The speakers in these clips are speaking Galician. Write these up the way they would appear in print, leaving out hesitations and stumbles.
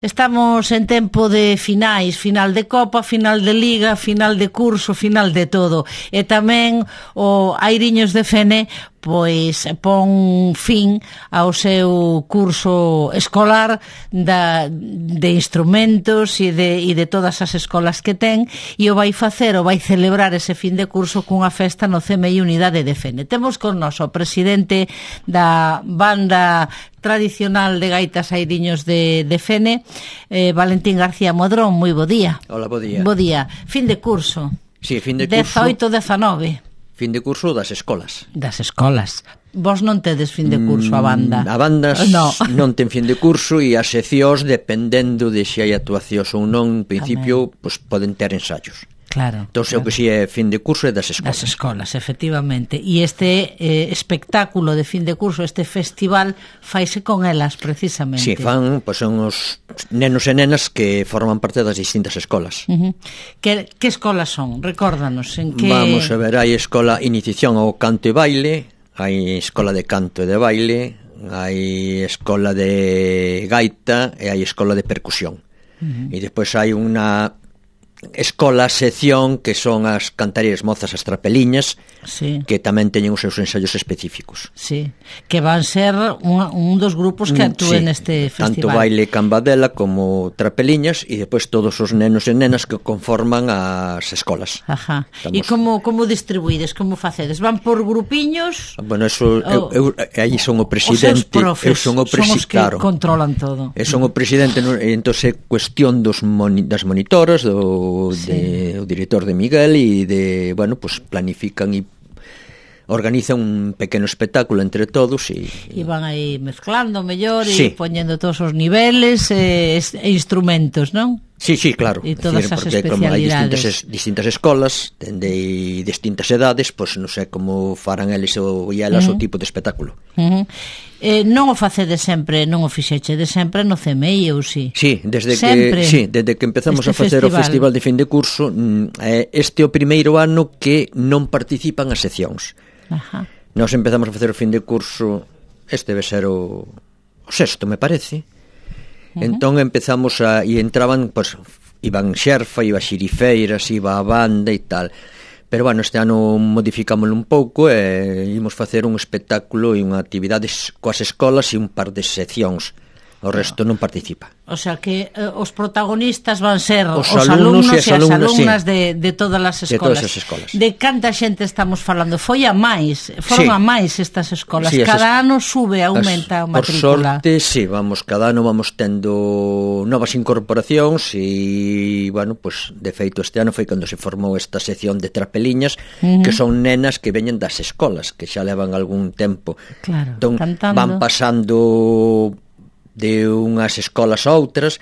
Estamos en tempo de finais, final de Copa, final de Liga, final de curso, final de todo. E tamén o Airiños de Fene pois pon fin ao seu curso escolar de instrumentos e de todas as escolas que ten, e o vai celebrar ese fin de curso cunha festa no CMI Unidade de Fene. Temos con nós o presidente da banda tradicional de gaitas Airiños de Fene, Valentín García Modrón. Moi bo día. Hola, bo día. Bo día. Fin de curso. Sí, fin de curso. 18-19. Fin de curso das escolas. Das escolas. Vos non tedes fin de curso a banda? A banda non ten fin de curso, e as seccións, dependendo de se hai actuacións ou non, en principio, pues, poden ter ensayos. Claro. Entón, o que si é fin de curso é das escolas. Das escolas, efectivamente. E este espectáculo de fin de curso, este festival, faise con elas, precisamente. Si, fan, pues, son os nenos e nenas que forman parte das distintas escolas. Que escolas son? Recórdanos. En que... Vamos a ver, hai escola iniciación ao canto e baile, hai escola de canto e de baile, hai escola de gaita e hai escola de percusión. E despois hai unha escola sección que son as cantareiras mozas, as trapeliñas, sí, que tamén teñen os seus ensaios específicos. Sí, que van ser un dos grupos que actúen neste festival. Tanto baile cambadela como trapeliñas, e depois todos os nenos e nenas que conforman as escolas. Ajá. E como distribuídes, como facedes? Van por grupiños? Bueno, eso eu aí son o presidente, eu son o presidente, claro, controlan todo. Eu son o presidente, entón é cuestión das monitoras, o director de Miguel, e bueno, pues planifican e organizan un pequeno espectáculo entre todos e van aí mezclando mellor, sí, e poñendo todos os niveles e instrumentos, non? Sí, claro. E todas as especialidades. Como hai distintas escolas, de distintas edades, pois non sei como farán eles ou elas o tipo de espectáculo. Non o facedes sempre, non o fixechedes sempre no CMI, ou si? Sí, desde que empezamos a facer o festival de fin de curso, este é o primeiro ano que non participan as seccións. Nós empezamos a facer o fin de curso, este debe ser o sexto, me parece. Entón empezamos e entraban, pues, iban Xerfa, iba Xirifeiras, iba a banda e tal. Pero, bueno, este ano modificámoslo un pouco e ímos facer un espectáculo e unha actividade coas escolas e un par de seccións. O resto non participa. O sea que os protagonistas van ser os alumnos e as alumnas de todas as escolas. De todas as escolas. De canta xente estamos falando? Foron a máis estas escolas. Cada ano sube, aumenta a matrícula. Por sorte, sí, cada ano vamos tendo novas incorporacións e, bueno, pues, de feito, este ano foi cando se formou esta sección de trapeliñas, que son nenas que veñen das escolas, que xa levan algún tempo. Claro, entón, cantando. Van pasando de unhas escolas a outras,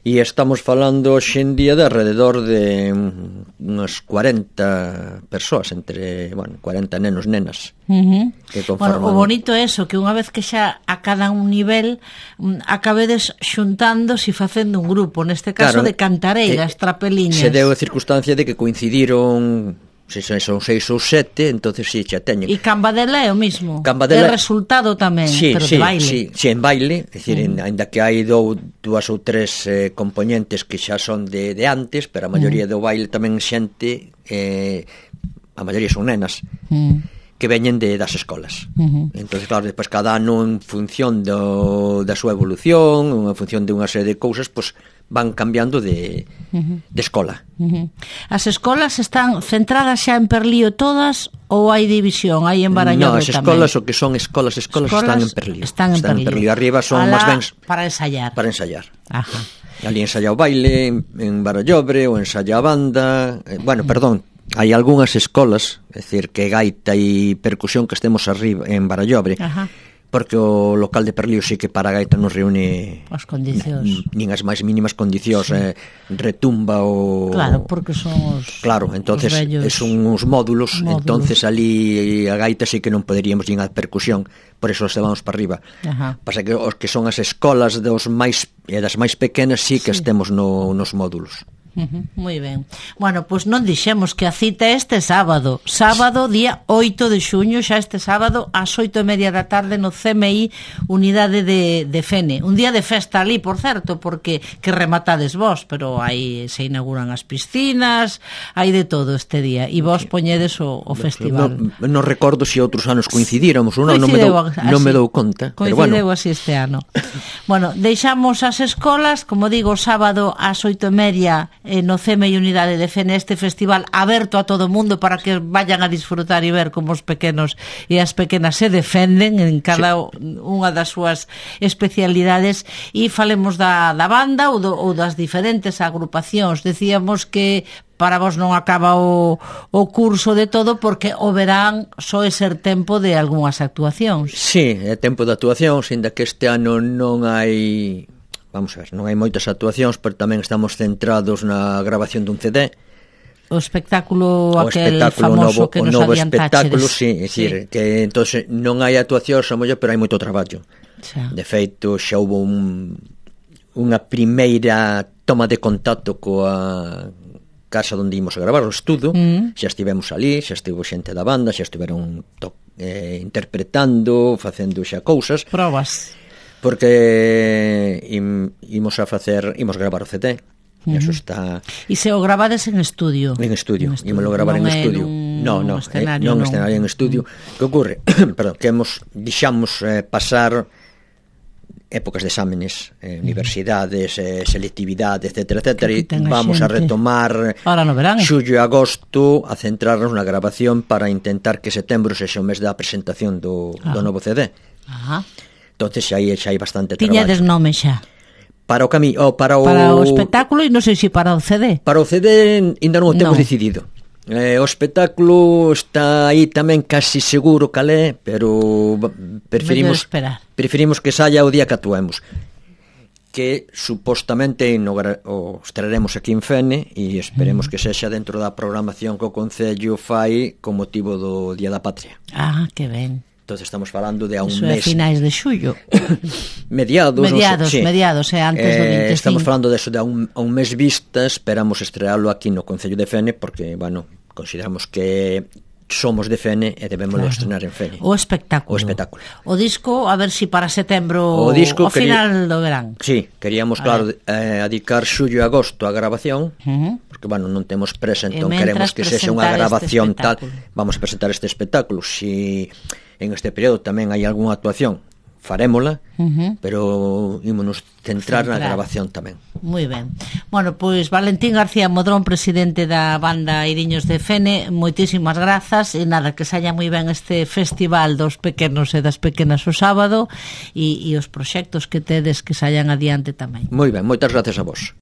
e estamos falando hoxe en día de alrededor de unhas 40 persoas, entre, 40 nenos, nenas, que conforman. Bueno, o bonito é eso, que unha vez que xa a cada un nivel acabedes xuntándose e facendo un grupo, neste caso, claro, de cantareiras, trapeliñas. Se deu a circunstancia de que coincidiron, se son 6 ou 7, entonces sí, xa teñen. E cambadela é o mismo? Cambadela... É resultado tamén, pero de baile? Sí, en baile, é dicir, ainda que hai dúas ou tres componentes que xa son de antes, pero a maioría do baile tamén xente, a maioría son nenas, que veñen das escolas. Entón, claro, despois cada ano, en función da súa evolución, en función de unha serie de cousas, pois van cambiando de escola. As escolas están centradas xa en Perlío todas, ou hai división, hai en Barallobre tamén? Non, as escolas, o que son escolas están en Perlío. Están en Perlío. Arriba son máis bens para ensayar. Ajá. Ali ensaya o baile, en Barallobre, ou ensaya a banda. Perdón, hai algunhas escolas, é dicir, que gaita e percusión que estemos arriba en Barallobre. Ajá. Porque o local de Perlío sí que para a gaita non reúne as condicións, nin as máis mínimas condicións, retumba o... Claro, porque son os... Claro, entonces son uns módulos, entonces ali a gaita sí que non poderíamos ir a percusión, por eso os levamos para arriba. Pasa que os que son as escolas das máis pequenas sí que estemos nos módulos. Moi ben. Bueno, pois non dixemos que a cita é este sábado, día 8 de xuño, xa este sábado ás 8:30 da tarde no CMI Unidade de Fene. Un día de festa ali, por certo, porque que rematades vos, pero aí se inauguran as piscinas, hai de todo este día, e vos poñedes o festival. Non recordo se outros anos coincidíramos ou non, non me dou conta. Coincideu así este ano. Bueno, deixamos as escolas, como digo, sábado ás 8:30 no CMI Unidade de Fene, este festival aberto a todo o mundo para que vayan a disfrutar e ver como os pequenos e as pequenas se defenden en cada unha das súas especialidades. E falemos da banda ou das diferentes agrupacións. Decíamos que para vos non acaba o curso de todo, porque o verán soe ser tempo de algunhas actuacións. Sí, é tempo de actuacións, ainda que este ano non hai... Vamos a ver, non hai moitas actuacións, pero tamén estamos centrados na grabación dun CD. O espectáculo aquel famoso que nos adiantachedes. Sí, é dicir, que entonces non hai actuacións, pero hai moito traballo. Xa. De feito, xa houve unha primeira toma de contacto coa casa onde imos a gravar, o estudo. Xa estivemos ali, xa estivo xente da banda, xa estiveron interpretando, facendo xa cousas. Probas. Porque imos gravar o CD. Eso está... E se o gravades en estudio? En estudio, ímolo gravar en estudio. Non escenario, en estudio. Que ocorre? Perdón, que deixamos pasar épocas de exámenes, universidades, selectividade, etcétera, e vamos a retomar xullo e agosto a centrarnos na grabación para intentar que setembro sexa o mes da presentación do novo CD. Entonces xa hai bastante traballo. Tiñades nome xa? Para o espectáculo e non sei se para o CD. Para o CD ainda non o temos decidido. O espectáculo está aí tamén casi seguro cal é, pero preferimos que saia o día que actuemos, que supostamente o estaremos aquí en Fene, e esperemos que sexa dentro da programación que o Concello fai con motivo do Día da Patria. Que ben. Entonces estamos falando de a un mes. Eso é finais de xullo. Mediados, antes do 25. Estamos falando de eso de a un mes vista. Esperamos estrealo aquí no Concello de Fene, porque, consideramos que somos de Fene e debemos estrenar en Fene. O espectáculo. O disco, a ver si para setembro, o final do verán. Sí, queríamos, dedicar xullo e agosto a grabación, porque, non temos presa, entón queremos que sexa unha grabación tal. Vamos a presentar este espectáculo. Si en este período tamén hai algunha actuación, farémola, pero ímonos centrar na grabación tamén. Moi ben. Bueno, pois Valentín García Modrón, presidente da banda Iriños de Fene, moitísimas grazas, e nada, que saia moi ben este festival dos pequenos e das pequenas o sábado, e os proxectos que tedes que saian adiante tamén. Moi ben, moitas grazas a vos.